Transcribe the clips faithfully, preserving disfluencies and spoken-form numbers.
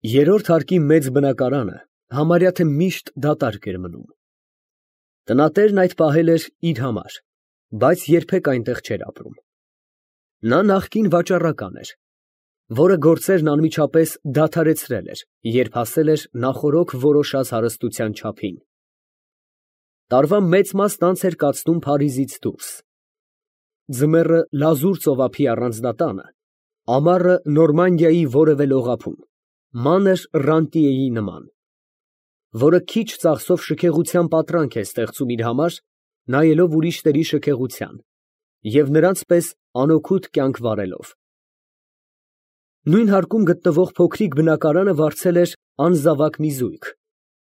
Երրորդ հարկի մեծ բնակարանը համարյա թե միշտ դատարկ էր մնում։ Տնատերն այդ պահել էր իր համար, բայց երբեք այնտեղ չէր ապրում։ Նա նախկին վաճառական էր, որը գործերն անմիջապես դադարեցրել էր, երբ հասել էր նախօրոք որոշած հարստության չափին։ Տարվա մեծ մասն անց էր կացնում Փարիզից դուրս։ Ձմեռը լազուր ծովափի առանձնատանը, ամառը Նորմանդիայի որևէ լողափում, մանր ռանտիեի նման, որը քիչ ծախսով շքեղության պատրանք է ստեղծում իր համար, նայելով ուրիշների շքեղության և նրանց պես անօգուտ կյանք վարելով։ Նույն հարկում գտնվող փոքրիկ բնակարանը վարձել էր անզավակ մի զույգ,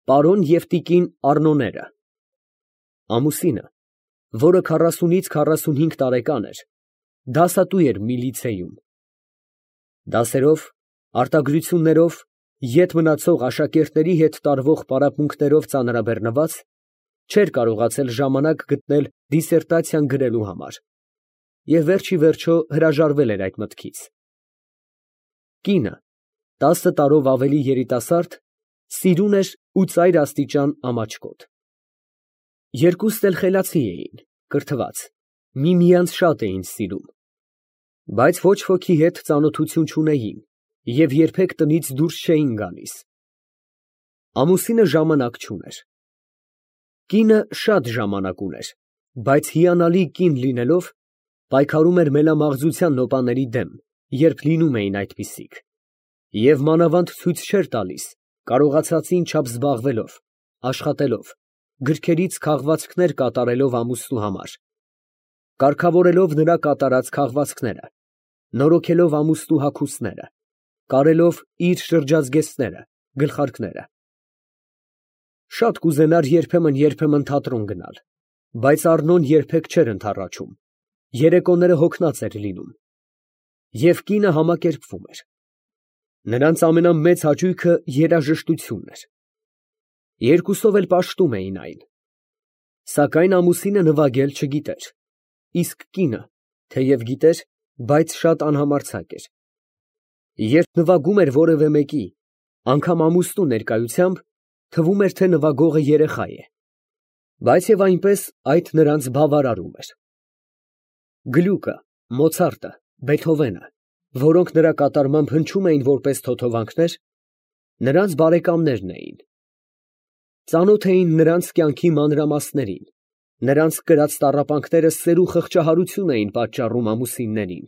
պարոն և տիկին Առնոները։ Ամուսինը, որը քառասունից քառասունհինգ տարեկան էր, դասատու էր մի լիցեյում։ Դասերով, արտագրություններով, ետ մնացող աշակերտների հետ տարվող պարապմունքներով ծանրաբեռնված, չէր կարողացել ժամանակ գտնել դիսերտացիան գրելու համար և վերջիվերջո հրաժարվել էր այդ մտքից։ Կինը, տասը տարով ավելի երիտասարդ, սիրուն էր ու ծայր աստիճան ամաչկոտ։ Երկուստ էլ խելացի էին, կրթված, միմյանց շատ էին սիրում, բայց ոչ ոքի հետ ծանոթություն չունեին և երբեք տնից դուրս չէին գալիս։ Ամուսինը ժամանակ չուներ։ Կինը շատ ժամանակ ուներ, բայց հիանալի կին լինելով, պայքարում էր մելամաղձության նոպաների դեմ, երբ լինում էին այդպիսիք, և մանավանդ ցույց չէր տալիս, կարողացածին չափ զբաղվելով, աշխատելով, գրքերից քաղվածքներ կատարելով ամուսնու համար, կարգավորելով նրա կատարած քաղվածքները, նորոգելով ամուսնու հագուստները, կարելով իր շրջազգեստները, գլխարկները։ Շատ կուզենար երբեմն֊երբեմն թատրոն գնալ, բայց Առնոն երբեք չէր ընդառաջում, երեկոները հոգնած էր լինում, և կինը համակերպվում էր։ Նրանց ամենամեծ հաճույքը երաժշտությունն էր։ Երկուսով էլ պաշտում էին այն։ Սակայն ամուսինը նվագել չգիտեր, իսկ կինը, թեև գիտեր, բայց շատ անհամարձակ էր։ Երբ նվագում էր որևէ մեկի, անգամ ամուսնու ներկայությամբ, թվում էր, թե նվագողը երեխա է, բայց և այնպես այդ նրանց բավարարում էր։ Գլյուկը, Մոցարտը, Բեթհովենը, որոնք նրա կատարմամբ հնչում էին որպես թոթովանքներ, նրանց բարեկամներն էին։ Ծանոթ էին նրանց կյանքի մանրամասներին, նրանց կրած տառապանքները սեր ու խղճահարություն էին պատճառում ամուսիններին։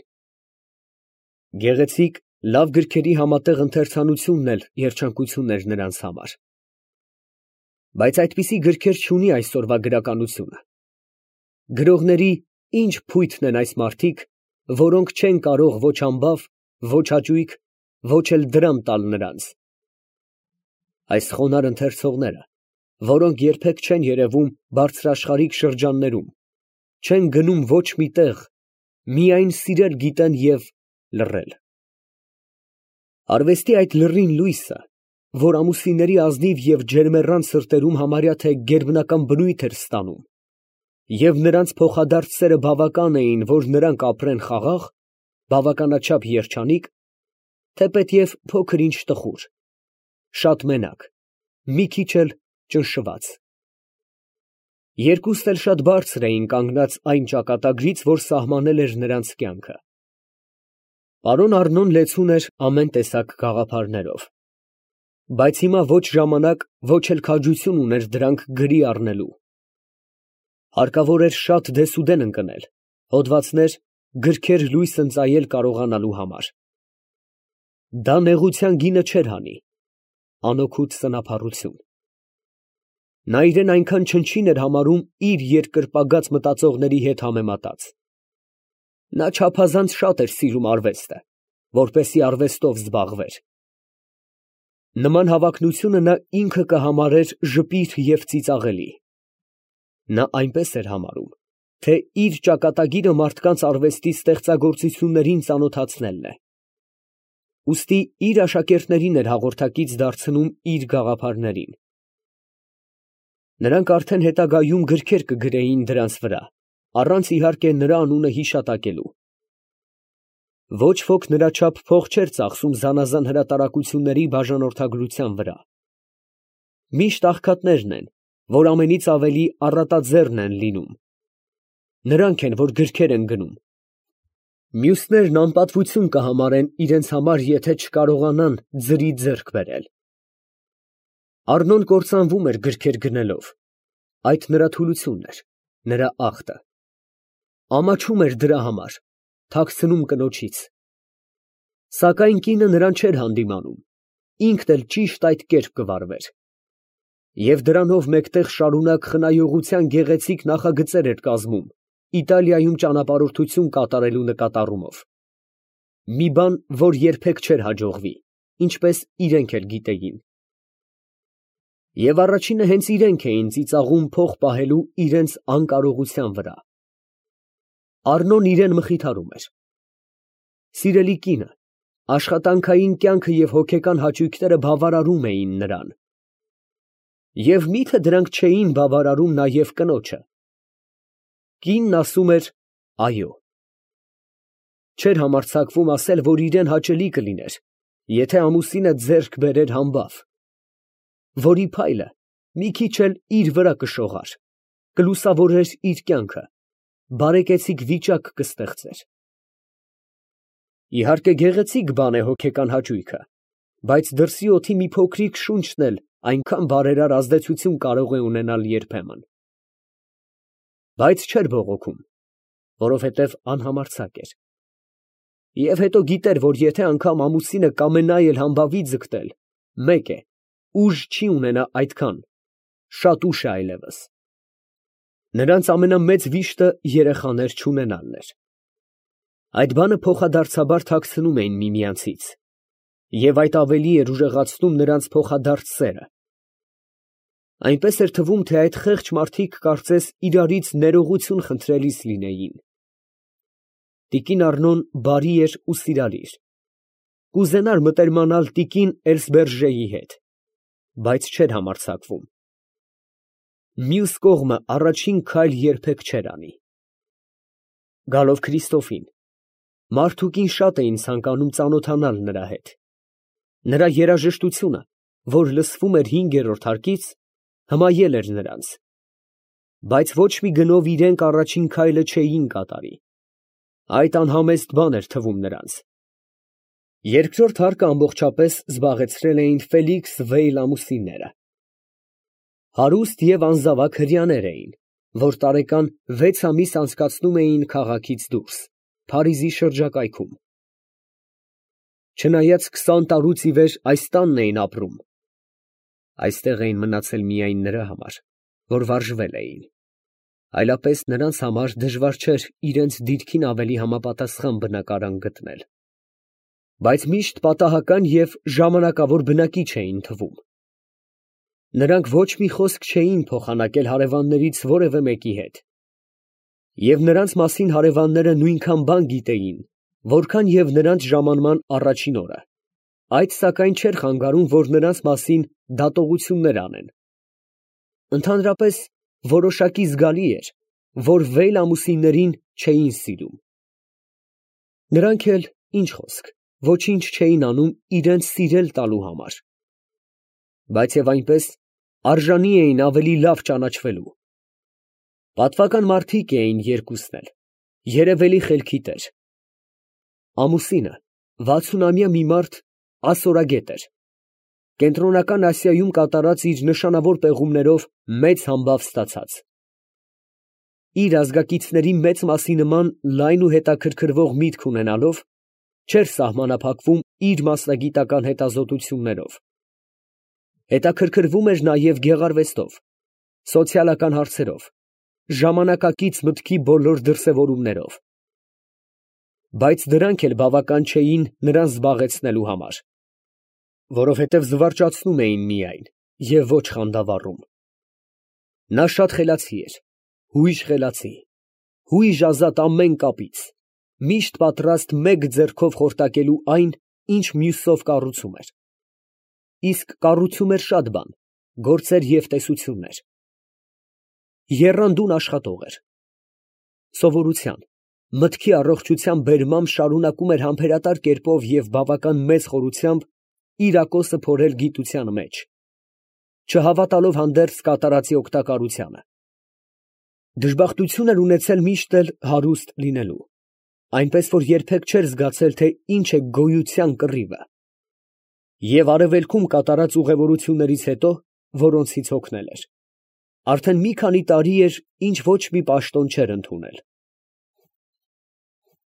Գեղեցիկ, լավ գրքերի համատեղ ընթերցանությունն էլ երջանկություն էր նրանց համար։ Բայց այդպիսի գրքեր չունի այսօրվա գրականությունը։ Գրողների ինչ փույթն են այս մարդիկ, որոնք չեն կարող ոչ համբավ, ոչ հաճույք, ոչ էլ դրամ տալ նրանց։ Այս խոնարհ ընթերցողները, որոնք երբեք չեն երևում բարձրաշխարհիկ շրջաններում, չեն գնում ոչ մի տեղ, միայն սիրել գիտեն և լռել։ Արվեստի այդ լռին լույսը, որ ամուսինների ազնիվ և ջերմեռան սրտերում համարյա թե գերբնական բնույթ էր ստանում, և նրանց փոխադարձ սերը բավական էին, որ նրանք ապրեն խաղաղ, բավականաչափ երջանիկ, թեպետև փոքր ինչ տխուր, շատ մենակ, մի քիչ էլ ճնշված։ Երկուստ էլ շատ բարձր էին կանգնած այն ճակատագրից, որ սահմանել էր նրանց կյանքը։ Պարոն Առնոն լեցուն էր ամեն տեսակ գաղափարներով, բայց հիմա ոչ ժամանակ, ոչ էլ քաջություն ուներ դրանք գրի առնելու։ Հարկավոր էր շատ դեսուդեն ընկնել, հոդվածներ, գրքեր լույս ընծայել կարողանալու համար։ Դա նեղության գինը չէր հանի, անօգուտ սնափառություն։ Նա իրան այնքան չնչին էր համարում իր երկրպագած մտածողների հետ համեմատած։ Նա չափազանց շատ էր սիրում արվեստը, որպեսզի արվեստով զբաղվեր։ Նման հավակնությունը նա ինքը կհամարեր ժպիտ և ծիծաղելի։ Նա այնպես էր համարում, թե իր ճակատագիրը մարդկանց արվեստի ստեղծագործություններին ծանոթացնելն է։ Ուստի իր աշակերտներին էր հաղորդակից դարձնում իր գաղափարներին։ Նրանք արդեն հետագայում գրքեր կգրեին դրանց վրա, առանց իհարկե նրա անունը հիշատակելու։ Ոչ ոք նրա չափ փող չէր ծախսում զանազան հրատարակությունների բաժանորդագրության վրա. միշտ աղքատներն են, որ ամենից ավելի առատաձեռն են լինում, նրանք են, որ գրքեր են գնում, մյուսներն անպատվություն կհամարեն իրենց համար, եթե չկարողանան ձրի ձեռք բերել։ Առնոն կործանվում էր գրքեր գնելով, այդ նրա թուլությունն էր, նրա ախտը, ամաչում էր դրա համար, թաքցնում կնոջից, սակայն կինը նրան չէր հանդիմանում, ինքն էլ ճիշտ այդ կերպ կվարվեր, և դրանով մեկտեղ շարունակ խնայողության գեղեցիկ նախագծեր էր կազմում Իտալիայում ճանապարհորդություն կատարելու նկատառումով, մի բան, որ երբեք չէր հաջողվի, ինչպես իրենք էլ գիտեին։ Եվ առաջինը հենց իրենք էին ծիծաղում փող պահելու իրենց անկարողության վրա։ Առնոն իրեն մխիթարում էր. սիրելի կինը, աշխատանքային կյանքը և հոգեկան հաճույքները բավարարում էին նրան։ Եվ մի՞թե դրանք չէին բավարարում նաև կնոջը։ Կինն ասում էր այո։ Չէր համարձակվում ասել, որ իրան հաճելի կլիներ, եթե ամուսինը ձեռք բերեր համբավ, որի փայլը մի քիչ էլ իր վրա կշողար, կլուսավորեր իր կյանքը, բարեկեցիկ վիճակ կստեղծեր։ Իհարկե գեղեցիկ բան է հոգեկան հաճույքը, բայց դրսի օդի մի փոքրիկ շունչն էլ այնքան բարերար ազդեցություն կարող է ունենալ երբեմն։ Բայց չէր բողոքում, որովհետև անհամարձակ էր։ Եվ հետո գիտեր, որ եթե անգամ ամուսինը կամենա էլ համբավի ձգտել, մեկ է, ուժ չի ունենա այդքան, շատ ուշ է այլևս։ Նրանց ամենամեծ վիշտը երեխաներ չունենալն էր։ Այդ բանը փոխադարձաբար թաքցնում էին միմյանցից, և այդ ավելի էր ուժեղացնում նրանց փոխադարձ սերը։ Այնպես էր թվում, թե այդ խեղճ մարդիկ կարծես իրարից ներողություն խնդրելիս լինեին։ Տիկին Առնոն բարի էր ու սիրալիր, կուզենար մտերմանալ տիկին Էլսբերժեի հետ, բայց չէր համարձակվում։ Մյուս կողմը առաջին քայլ երբեք չէր անի։ Գալով Քրիստոֆին, մարդուկին շատ էին ցանկանում ծանոթանալ նրա հետ։ Նրա երաժշտությունը, որ լսվում էր հինգերորդ հարկից, հմայել էր նրանց, բայց ոչ մի գնով իրենք առաջին քայլը չէին կատարի, այդ անհամեստ բան էր թվում նրանց։ Երկրորդ հարկը ամբողջապես զբաղեցրել էին Ֆելիքս Վեյլ ամուսինները։ Հարուստ և անզավակ հրեաներ էին, որ տարեկան վեց ամիս անցկացնում էին քաղաքից դուրս, Փարիզի շրջակայքում։ Չնայած քսան տարուց ի վեր այս տանն էին ապրում, այստեղ էին մնացել միայն նրա համար, որ վարժվել էին, այլապես նրանց համար դժվար չէր իրենց դիրքին ավելի համապատասխան բնակարան գտնել, բայց միշտ պատահական և ժամանակավոր բնակիչ էին թվում։ Նրանք ոչ մի խոսք չէին փոխանակել հարևաններից որևէ մեկի հետ, և նրանց մասին հարևանները նույնքան բան գիտեին, որքան և նրանց ժամանման առաջին օրը, այդ սակայն չէր խանգարում, որ նրանց մասին դատողություններ անեն։ Ընդհանրապես որոշակի զգալի էր, որ Վեյլ ամուսիններին չէին սիրում։ Նրանք էլ, ինչ խոսք, ոչինչ չէին անում իրենց սիրել տալու համար, բայց և այնպես արժանի էին ավելի լավ ճանաչվելու։ Պատվական մարդիկ էին երկուսն էլ, երևելի խելքի տեր։ Ամուսինը վաթսունամյա մի մարդ ասորագետ էր, Կենտրոնական Ասիայում կատարած իր նշանավոր պեղումներով մեծ համբավ ստացած։ Իր ազգակիցների մեծ մասի նման լայն ու հետաքրքրվող միտք ունենալով, չէր սահմանափակվում իր մասնագիտական հետազոտություններով։ Հետաքրքրվում էր նաև գեղարվեստով, սոցիալական հարցերով, ժամանակակից մտքի բոլոր դրսևորումներով։ Բայց դրանք էլ բավական չէին նրան զբաղեցնելու համար, որովհետև զվարճացնում էին միայն և ոչ խանդավառում։ Նա շատ խելացի էր, հույժ խելացի, հույժ ազատ ամեն կապից, միշտ պատրաստ մեկ ձեռքով խորտակելու այն, ինչ մյուսով կառուցում էր։ Իսկ կառուցում էր շատ բան, գործեր և տեսություններ։ Եռանդուն աշխատող էր։ Սովորության, մտքի առողջության բերմամբ շարունակում էր համբերատար կերպով և բավական մեծ խորությամբ իր ակոսը փորել գիտության մեջ, չհավատալով հանդերձ կատարածի օգտակարությանը։ Դժբախտություն էր ունեցել միշտ էլ հարուստ լինելու, այնպես որ երբեք չէր զգացել, թե ինչ է գոյության կռիվը, և արևելքում կատարած ուղևորություններից հետո, որոնցից հոգնել էր, արդեն մի քանի տարի էր, ինչ ոչ մի պաշտոն չէր ընդունել։